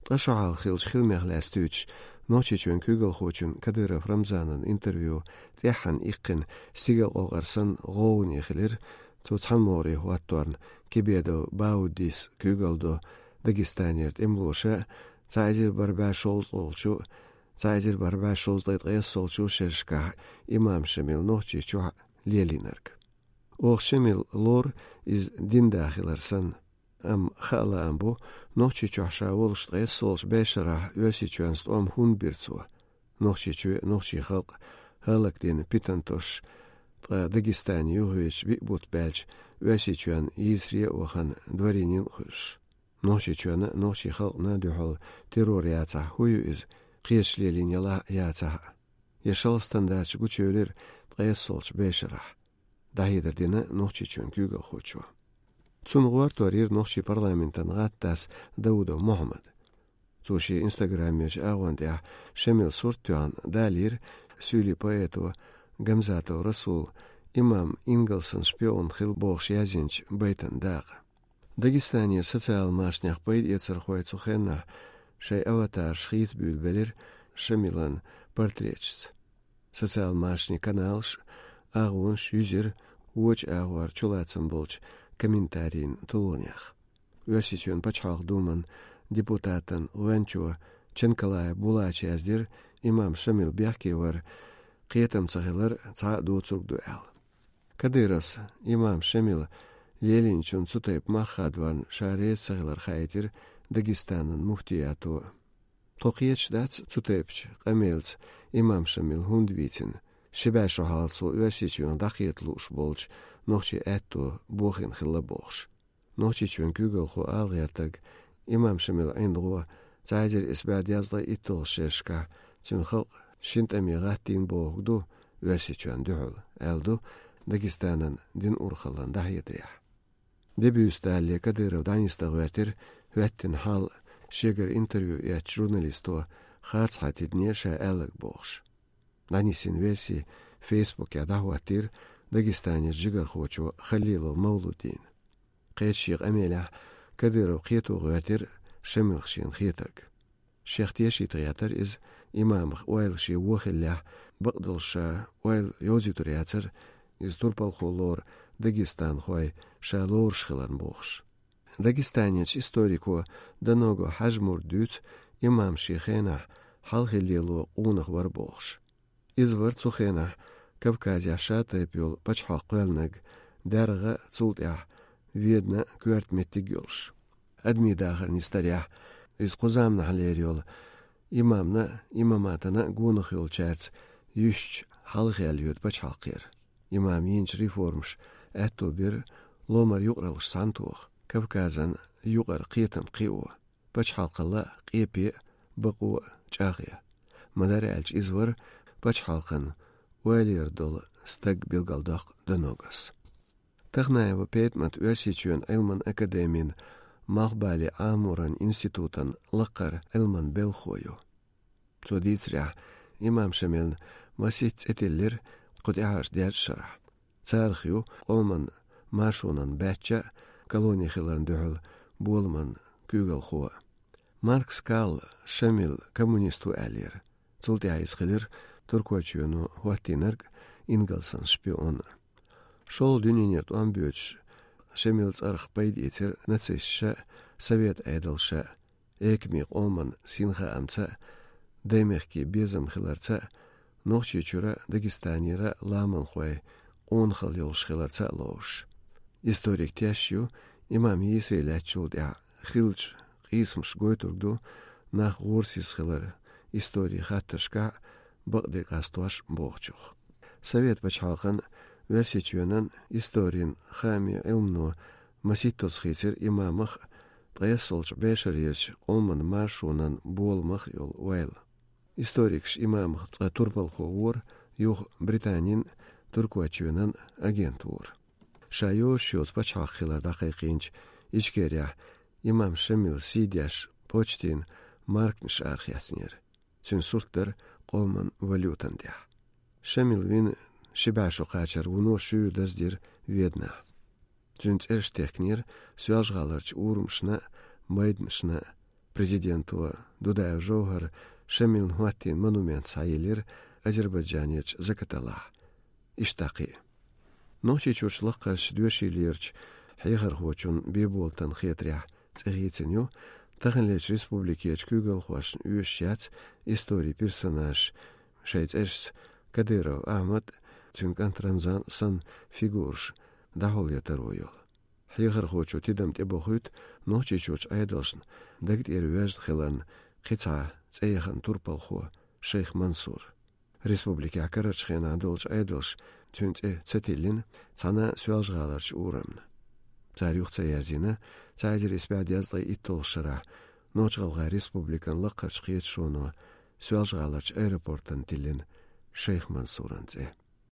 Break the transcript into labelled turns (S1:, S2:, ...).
S1: Ткъа шу хьалха хилча хила мех лаьцдевча нохчичоьн куьйгалхочун Кадыров Рамзанан интервью тІаьххьана иккхина стигал къокъар санна гІовгІане хилира, цо цхьамморе хІотторна Кебедов Баудис куьйгалдо Дагестанера тІемлоша цаьзир бар баьш шолзалчу цаьзир бар баьш шолзалй ткъессолчу шершкахь имам Шамил нохчи чухь лелийнарг. Оха Шамил лор иза дин дахилар санна, амма хаа лаам бу нохчи чохь ша волуш ткъессолчу бешарахь оьсичоьнца стІом хІунда бира цо. Нохчи чу нохчийн халкъ хІаллакдина питантош, ткъа Дагестане юхавечу биъ-бутт баьлча оьсичоьнна йийсаре а вахана дворянин а хуьлуш. Нохчи чоьнна нохчийн халкъна дуьхьал террор яцахь хІун ю иза, кхеташ лелийна яцахь? Я шала стандартша гучувелира ткъессолчу бешарахь? ДІахІийдар дина нохчи чоьнна куьйгалхочо. Цунна гІорторийра нохчийн парламентан гІаттас Даудов Мухӏамад. Цо шен Инстаграмечу агІон тІехь Шамил сурт тоьхна далийра сюйли поэто Гамзатов Расул имам Ингелсан шпион хила бохуш язйинчу байтан дакъа. Дагестанера социал машинех пайда эцархой цу хеннахь шайн аватарша хийцбуьйлбелира Шамилан портретшца. Социал машине каналш агІонаш юьзира вочу агІор чулацан болчу комментарийн тулонех. Оьсичоьнна пачхьалкх Думан депутатан гІоьнчо Чанкалаев Булача яздира имам Шамил бехкевар кхетам ца хилар цхьа а доцург ду аьлла. Кадыровс имам Шамил лелийначунна цу тайпа маххадварна ша реца ца хилар хаийтира Дагестанан муфтиято. Тхо кхеташ дац цу тайпачу къамелца имам Шамил хІунда вийтина, ши баьш чу хьала цо оьсичоьнна дІакхета лууш болчу нохчийн аьтту бохийна хилла бохуш. Нохчичоьнна куьйгалхо алгІертарг имам Шамил ІиндІо цаьзира исбаьда язлай итт долуш шерашкахь цуьнан халкъ шин тІаме гІаттийна бохург ду оьсичоьнна дуьхьул, аьлла ду Дагестанан дин урхаллан дахьетарехь. Дебюсталле Кадыров дІаниста гІоьттира хІоьттина хьал шегара интервью эцчу журналисто харц хьатидине ша аьлларг бохуш. ДІанисийн версий Фейсбуке дІахІоттийра Дагестанера жигархочо Халилов Мавлудин. Кхеччу къамелехь Кадыров кхето гІоьттира Шамилх шена хетарг. Шех тешийта гІетар иза имамах ойла шен вохиллехь бакъдолуш ша ойла йозуьйтур яцар иза турпалхо лор дагестанхой ша лоруш хиларна бохуш. Дагестанечу историко Доного Хӏажмур дуьцу имам шен хенахь хьалха лело къунах вара бохуш. Иза вара цу хенахь Кавказехь ша тайпа йолу пачхьалкх кхоьлинарг дәргІа цул тІехь ведна коьрта меттиг йолуш. Адамийн дахар нистарехь иза кхузамнахь лер йолу имамна имаматана гонах йолчаьрца йуьхчу хьалхаьлла йоьду пачхьалкхера. Имам йинчу реформаш аьтту бира ломар юкъаралаш схьамтоха, Кавказан юкъара кхетам кхио, пачхьалкхала къепе бакъо чІагІъя. Ма-дара аьлча иза вара пачхьалкхан ойлийр долу стаг билгалдоккху Доногас. Тахнаева Петмат оьсичоьнна Іилман академин Малхбали Амуран институтан лаккъар Іилман белхо ю. Цо дийцарехь имам Шамилна масих цІетиллира кху тІаьхьарчу дерчу шарахь. Царах ю къоман маршонан баьчча колония хиларна дуьхьул боламан куьйгалхо. Маркс Кал Шамил коммунист ву аьлйера. Цул тІаьхьа иза хилира туркочоьну хІоттийнарг Ингелсан шпион. ШолгІа дуьненера тІом боьдуш Шамил цІарах пайда эцира нацистша, Совет айдалша, экми къоман синхаамца, дай мехке безам хиларца, нохчи чура Дагестанера ламанхой къонхал йолуш хиларца а ловуш. Историк тешаш ю, имам йийсаре лаьцчул тІаьхьа хиллачу къийсамаш гойтург ду, нах гІорсийса хилар историй хаттаршкахь бакъдерг къастош бохучух. Совет пачхьалкхан оьсичоьнан историн хами Іилмно маситтоца хийцира имамах ткъессолчу бешар езачу къоман маршонан боламах йолу ойла. Историкаш имамах ткъа турпалхо вора, юх Британин туркочоьнан агент вора. Ша йозуш йоцу пачхьалкх хилар дІакхайкхийначу Ичкерехь имам Шамил сий деш почтин маркнаш арах яцнера. Цуьнан сурт дара къоман валютан тІехь. Шамил вина ши баьш кхачар вуно шуьйр даздира веднахь. Цуьнан цІераш техкинера соьлжгІаларчу урамашна, майданашна. Prezidento Дудаев Жохар Шамил Хуаттин монумент сайылыр Азербайджанеч Закаталах. Иштақи. Ночи чучлыққаш дүешилерч хейхар хочун беболтан хетрях цегиценю тахынлеч республикеч күгел хуашн үешяц истории персонаж шейцэшс Кадыров Ахмад цюнкан Рамзан сан фигурш дахол ятаруйол. Хейхар хочу тидам тебохут ночи чуч айдалшн дагт эрвяж хилан қица цейхан турпалхо шейх Мансур. Республика акарачхена долч айдалш цюнце цетилин цана свялжгаларч урамн. Царюхца язина цайдер испяд язлай иттол шыра ночгалга республикан лаққарч қиет шону свялжгаларч аэропорттан тилин шейх Мансуранце.